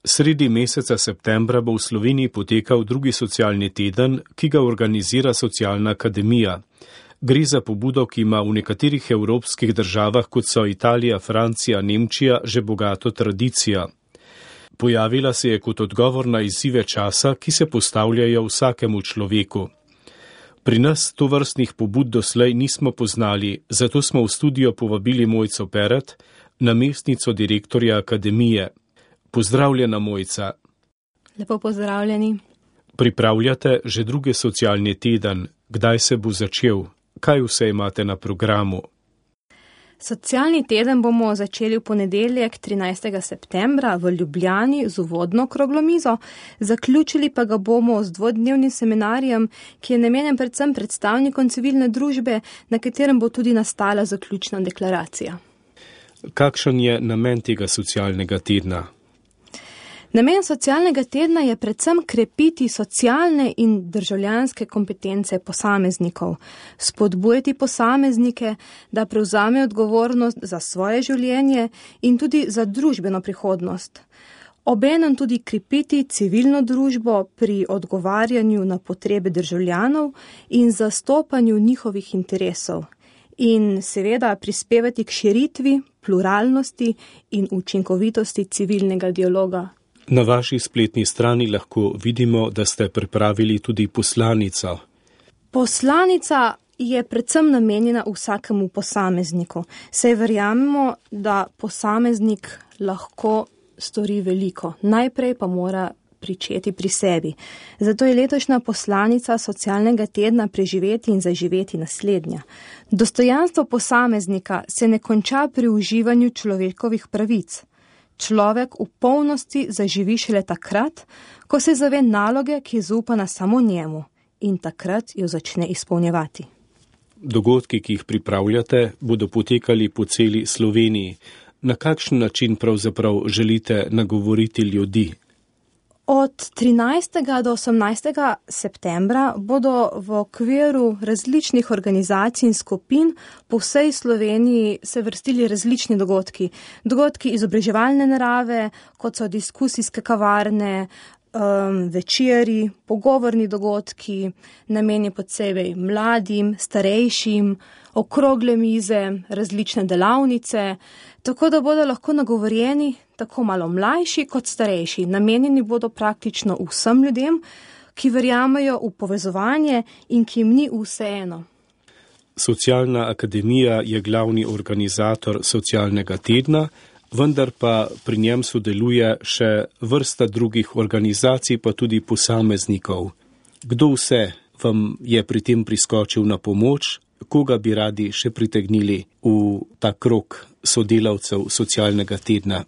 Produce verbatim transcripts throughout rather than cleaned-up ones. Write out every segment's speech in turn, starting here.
Sredi meseca septembra bo v Sloveniji potekal drugi socialni teden, ki ga organizira Socialna akademija. Gre za pobudo, ki ima v nekaterih evropskih državah, kot so Italija, Francija, Nemčija, že bogato tradicijo. Pojavila se je kot odgovor na izzive časa, ki se postavljajo vsakemu človeku. Pri nas tovrstnih pobud doslej nismo poznali, zato smo v studio povabili Mojco Peret, namestnico direktorja akademije. Pozdravljena, Mojca. Lepo pozdravljeni. Pripravljate že drugi socialni teden. Kdaj se bo začel? Kaj vse imate na programu? Socialni teden bomo začeli v ponedeljek trinajstega septembra v Ljubljani z uvodno okroglo mizo, zaključili pa ga bomo z dvodnevnim seminarjem, ki je namenjen predvsem predstavnikom civilne družbe, na katerem bo tudi nastala zaključna deklaracija. Kakšen je namen tega socialnega tedna? Namen socialnega tedna je predvsem krepiti socialne in državljanske kompetence posameznikov, spodbujati posameznike, da prevzamejo odgovornost za svoje življenje in tudi za družbeno prihodnost. Obenem tudi krepiti civilno družbo pri odgovarjanju na potrebe državljanov in zastopanju njihovih interesov in seveda prispevati k širitvi, pluralnosti in učinkovitosti civilnega dialoga. Na vaši spletni strani lahko vidimo, da ste pripravili tudi poslanico. Poslanica je predvsem namenjena vsakemu posamezniku. Saj verjamemo, da posameznik lahko stori veliko. Najprej pa mora pričeti pri sebi. Zato je letošnja poslanica socialnega tedna preživeti in zaživeti naslednja. Dostojanstvo posameznika se ne konča pri uživanju človekovih pravic. Človek v polnosti zaživi šele takrat, ko se zave naloge, ki je zaupana samo njemu, in takrat jo začne izpolnjevati. Dogodki, ki jih pripravljate, bodo potekali po celi Sloveniji. Na kakšen način pravzaprav želite nagovoriti ljudi? Od trinajstega do osemnajstega septembra bodo v okviru različnih organizacij in skupin po vsej Sloveniji se vrstili različni dogodki. Dogodki izobraževalne narave, kot so diskusijske kavarne, um, večeri, pogovorni dogodki, namenjeni posebej mladim, starejšim, okrogle mize, različne delavnice, tako da bodo lahko nagovorjeni tako malo mlajši kot starejši. Namenjeni bodo praktično vsem ljudem, ki verjamejo v povezovanje in ki jim ni vseeno. Socialna akademija je glavni organizator socialnega tedna, vendar pa pri njem sodeluje še vrsta drugih organizacij, pa tudi posameznikov. Kdo vse vam je pri tem priskočil na pomoč? Koga bi radi še pritegnili v ta krog sodelavcev socialnega tedna?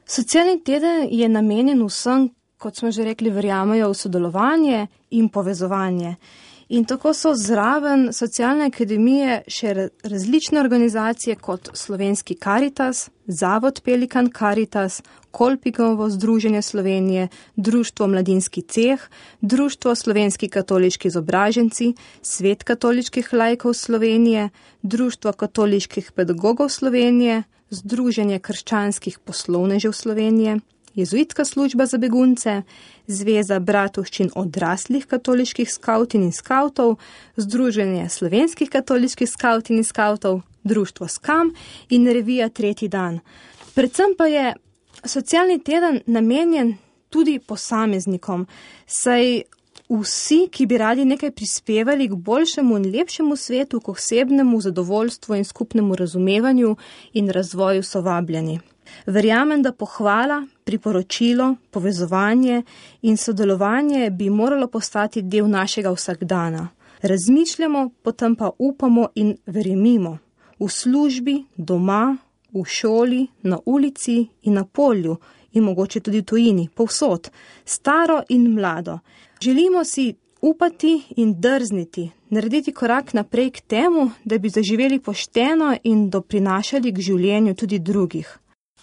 Socialni teden je namenjen vsem, kot smo že rekli, verjamejo v sodelovanje in povezovanje. In tako so zraven Socialne akademije še različne organizacije kot Slovenski Karitas, Zavod Pelikan Karitas, Kolpikovo združenje Slovenije, Društvo Mladinski ceh, Društvo Slovenski katoliški izobraženci, Svet katoliških laikov Slovenije, Društvo katoliških pedagogov Slovenije, Združenje krščanskih poslovnežev Slovenije, Jezuitska služba za begunce, Zveza bratovščin odraslih katoliških skavtin in skavtov, Združenje slovenskih katoliških skavtin in skavtov, Društvo Skam in revija Tretji dan. Predvsem pa je socialni teden namenjen tudi posameznikom, saj vsi, ki bi radi nekaj prispevali k boljšemu in lepšemu svetu, k osebnemu zadovoljstvu in skupnemu razumevanju in razvoju, so vabljeni. Verjamem, da pohvala, priporočilo, povezovanje in sodelovanje bi moralo postati del našega vsakdana. Razmišljamo, potem pa upamo in verjemimo. V službi, doma, v šoli, na ulici in na polju in mogoče tudi v tujini, povsod, staro in mlado. Želimo si upati in drzniti, narediti korak naprej k temu, da bi zaživeli pošteno in doprinašali k življenju tudi drugih.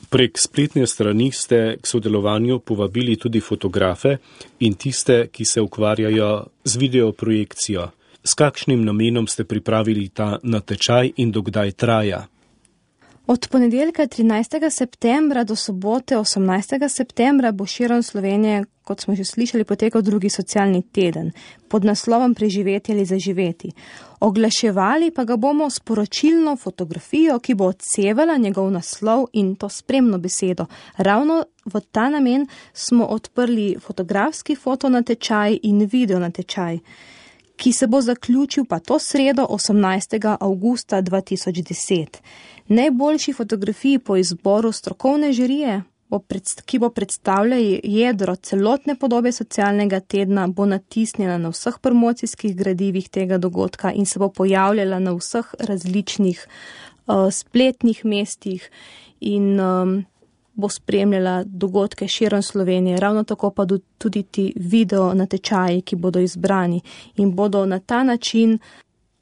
Prek spletne strani ste k sodelovanju povabili tudi fotografe in tiste, ki se ukvarjajo z videoprojekcijo. S kakšnim namenom ste pripravili ta natečaj in dokdaj traja? Od ponedeljka trinajstega septembra do sobote osemnajstega septembra bo širom Slovenije, kot smo že slišali, potekal drugi socialni teden pod naslovom Preživeti ali zaživeti. Oglaševali pa ga bomo s poročilno fotografijo, ki bo odsevala njegov naslov in to spremno besedo. Ravno v ta namen smo odprli fotografski fotonatečaj in video natečaj, ki se bo zaključil pa to sredo osemnajstega avgusta dva tisoč deset. Najboljši fotografiji po izboru strokovne žirije, ki bo predstavljala jedro celotne podobe socialnega tedna, bo natisnjena na vseh promocijskih gradivih tega dogodka in se bo pojavljala na vseh različnih uh, spletnih mestih in um, bo spremljala dogodke širom Slovenije. Ravno tako pa tudi ti video natečaji, ki bodo izbrani in bodo na ta način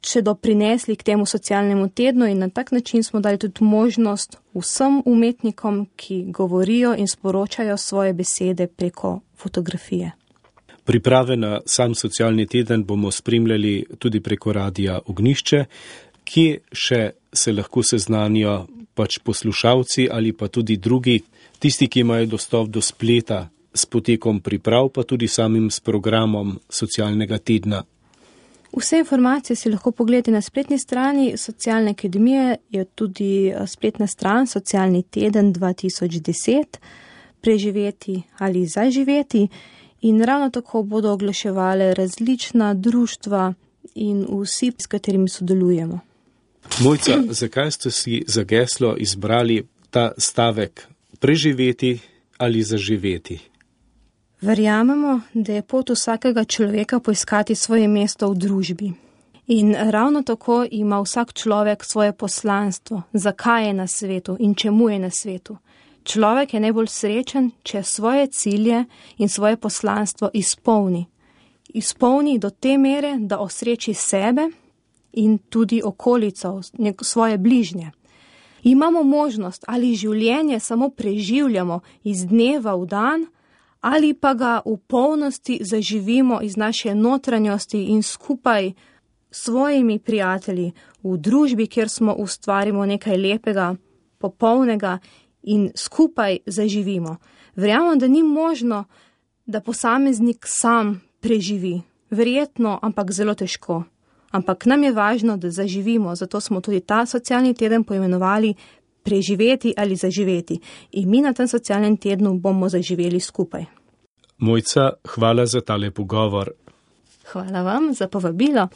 še doprinesli k temu socialnemu tednu in na tak način smo dali tudi možnost vsem umetnikom, ki govorijo in sporočajo svoje besede preko fotografije. Priprave na sam socialni teden bomo spremljali tudi preko radia Ognjišče, kje še se lahko seznanijo pač poslušalci ali pa tudi drugi, tisti, ki imajo dostop do spleta s potekom priprav, pa tudi samim s programom socialnega tedna. Vse informacije si lahko pogledate na spletni strani Socialne akademije, je tudi spletna stran Socialni teden dva tisoč deset, preživeti ali zaživeti in ravno tako bodo oglaševale različna društva in vsi, s katerimi sodelujemo. Mojca, zakaj ste si za geslo izbrali ta stavek preživeti ali zaživeti? Verjamemo, da je pot vsakega človeka poiskati svoje mesto v družbi. In ravno tako ima vsak človek svoje poslanstvo, zakaj je na svetu in čemu je na svetu. Človek je najbolj srečen, če svoje cilje in svoje poslanstvo izpolni. Izpolni do te mere, da osreči sebe in tudi okolico, svoje bližnje. Imamo možnost, ali življenje samo preživljamo iz dneva v dan, ali pa ga v polnosti zaživimo iz naše notranjosti in skupaj s svojimi prijatelji v družbi, kjer smo ustvarimo nekaj lepega, popolnega in skupaj zaživimo. Verjamem, da ni možno, da posameznik sam preživi. Verjetno, ampak zelo težko. Ampak nam je važno, da zaživimo, zato smo tudi ta socialni teden poimenovali preživeti ali zaživeti. In mi na tem socialnem tednu bomo zaživeli skupaj. Mojca, hvala za tale pogovor. Hvala vam za povabilo.